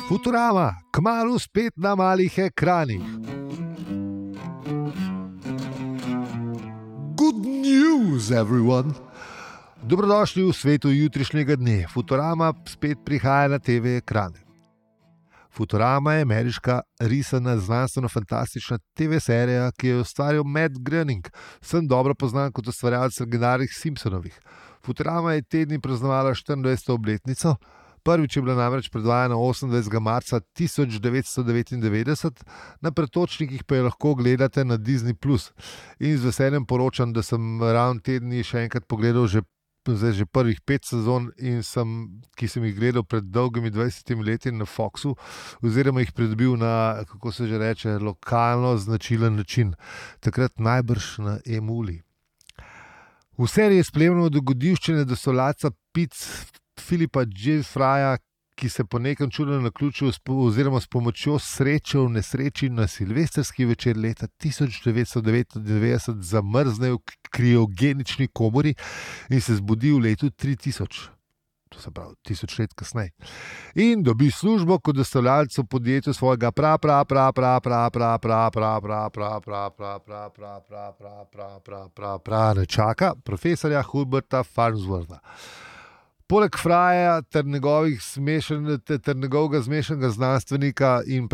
Futurama, kmalu spet na malih ekranih. Good news, everyone! Dobrodošli v svetu jutrišnjega dne. Futurama spet prihaja na TV ekrane. Futurama je ameriška risana znanstveno-fantastična TV serija, ki jo je ustvaril Matt Groening, vsem dobro poznan kot ustvarjalec legendarnih Simpsonovih. Futurama je te dni praznovala 24. obletnico. Prvič je bila namreč predvajana 28. marca 1999, na pretočnikih pa jo lahko gledate na Disney+. In z veseljem poročam, da sem ravno te dni še enkrat pogledal že prvih 5 sezon, ki sem jih gledal pred dolgimi 20 leti na Foxu, oziroma jih pridobil na, kako se že reče, lokalno značilen način. Takrat najbrž na Emuli. V seriji je spremljamo dogodivščine dostavljalca pic Philippa Jeffraya, ki se po nekem čudnem naključju oziroma s pomočjo sreče v nesreči na silvestrski večer leta 1999 zamrzne v kriogenični komori in se zbudi v letu 3000. To se pravi 1000 let kasneje. In dobi službo kot dostavljalec v podjetju svojega nečaka, profesorja Herberta Farnswortha. Poleg Frya ter njegovega zmešnega znanstvenika in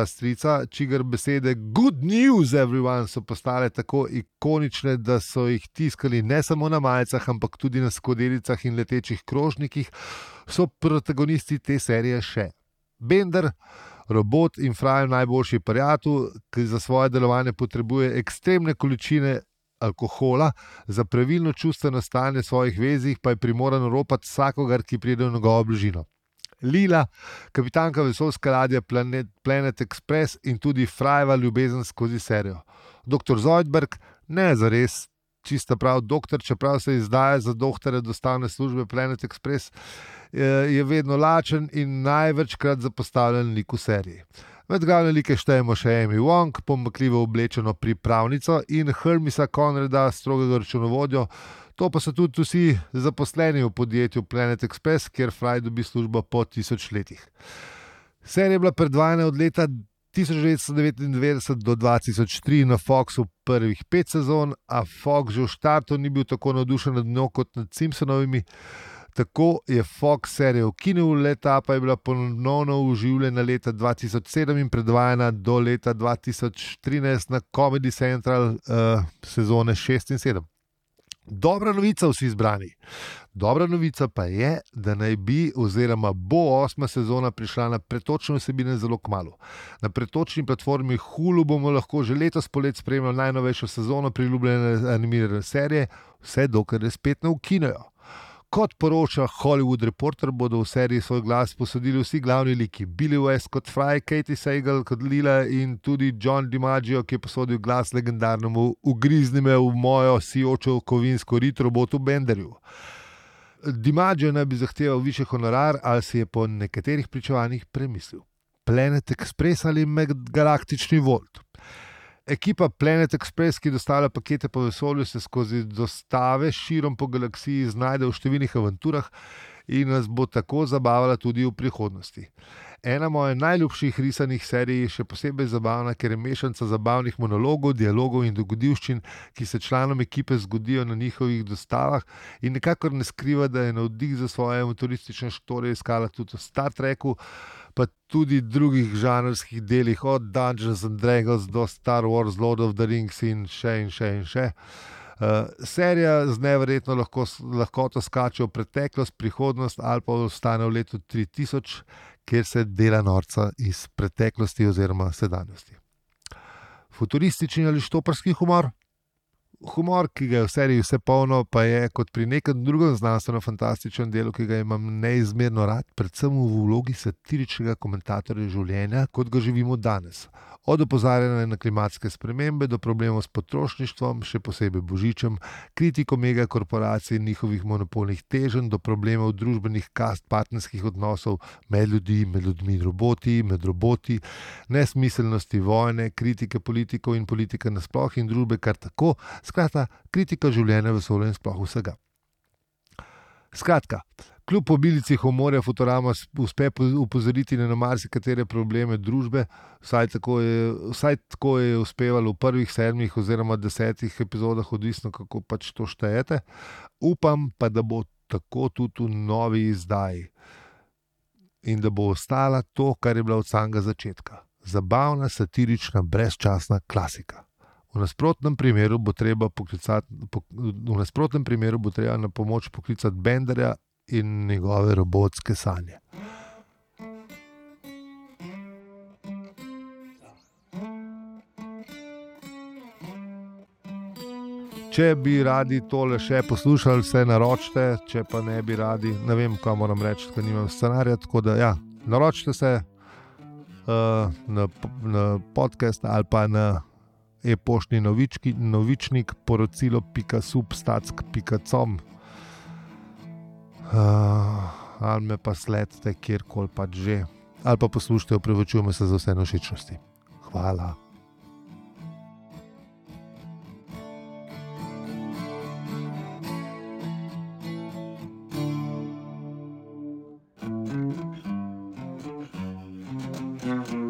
strica, čigar besede good news everyone so postale tako ikonične, da so jih tiskali ne samo na majicah, ampak tudi na skodelicah in letečih krožnikih, so protagonisti te serije še Bender, robot in Fryev najboljši prijatelj, ki za svoje delovanje potrebuje ekstremne količine alkohola, za pravilno čustveno stanje svojih vezih pa je primoran ropati vsakogar, ki pride v njegovo bližino. Lila, kapitanka vesoljske ladje Planet Express in tudi Fryeva ljubezen skozi serijo. Dr. Zoidberg, ne zares čista prav doktor, čeprav se izdaja za doktorja dostavne službe Planet Express, je vedno lačen in največkrat zapostavljen lik v seriji. Med glavne like štejemo še Amy Wong, pomakljivo oblečeno pripravnico, in Hermisa Conrada, strogega računovodjo. To pa so tudi vsi zaposleni v podjetju Planet Express, kjer Fry dobi službo po 1000 letih. Serija je bila predvajana od leta 1999 do 2003 na Foxu prvih 5 sezon, a Fox že v štartu ni bil tako navdušen nad njo kot nad Simpsonovimi. Tako je Fox serijo ukinil, leta pa je bila ponovno oživljena leta 2007 in predvajana do leta 2013 na Comedy Central sezone 6 in 7. Dobra novica vsi izbrani. Dobra novica pa je, da naj bi oziroma bo 8. sezona prišla na pretočne vsebine zelo kmalu. Na pretočni platformi Hulu bomo lahko že letos polet spremljali najnovejšo sezono priljubljene animirane serije, vse dokler je spet ne ukinejo. Kot poroča Hollywood Reporter, bodo v seriji svoj glas posodili vsi glavni liki. Billy West kot Fry, Katie Sagal kot Lila in tudi John DiMaggio, ki je posodil glas legendarnemu ugrizni me v mojo sijočo kovinsko rit robotu Benderju. DiMaggio naj bi zahteval višji honorar, ali si je po nekaterih pričevanjih premislil. Planet Express ali medgalaktični Volt? Ekipa Planet Express, ki dostavlja pakete po vesolju, se skozi dostave širom po galaksiji znajde v številnih avanturah in nas bo tako zabavala tudi v prihodnosti. Ena mojih najljubših risanih serij je še posebej zabavna, ker je mešanca zabavnih monologov, dialogov in dogodivščin, ki se članom ekipe zgodijo na njihovih dostavah, in nekakor ne skriva, da je navdih za svoje motoristične štore iskala tudi v Star Treku, pa tudi drugih žanrskih delih, od Dungeons and Dragons do Star Wars, Lord of the Rings in še. Serija z neverjetno lahkoto skače v preteklost, prihodnost ali pa ostane v letu 3000, kjer se dela norca iz preteklosti oziroma sedanjosti. Futuristični ali štoparski humor? Humor, ki ga je v seriji vse polno, pa je kot pri nekem drugem znanstveno-fantastičnem delu, ki ga imam neizmerno rad, predvsem v vlogi satiričnega komentatorja življenja, kot ga živimo danes. Od opozarjanja na klimatske spremembe do problemov s potrošništvom, še posebej božičem, kritiko megakorporacij in njihovih monopolnih teženj, do problemov družbenih kast, partnerskih odnosov med ljudmi in roboti, med roboti, nesmiselnosti vojne, kritike politikov in politike nasploh in družbe kar tako, skratka, kritika življenja, vesolja in sploh vsega. Skratka, kljub obilici humorja Futurama uspe upozoriti na marsikatere probleme družbe, vsaj tako je uspevalo v prvih 7 oziroma 10 epizodah, odvisno kako pač to štejete. Upam pa, da bo tako tudi v novi izdaji in da bo ostala to, kar je bila od samega začetka. Zabavna, satirična, brezčasna klasika. V nasprotnem primeru bo treba na pomoč poklicati Benderja in njegove robotske sanje. Če bi radi tole še poslušali, se naročite, če pa ne bi radi, ne vem, kaj moram reči, ker nimam scenarija, tako da ja, naročite se na podcast ali pa na e-poštni novičnik porocilo.substack.com ali me pa sledite kjerkoli pač že, ali pa poslušajte, opravičujem se za vse nevšečnosti. Hvala. Mm-hmm.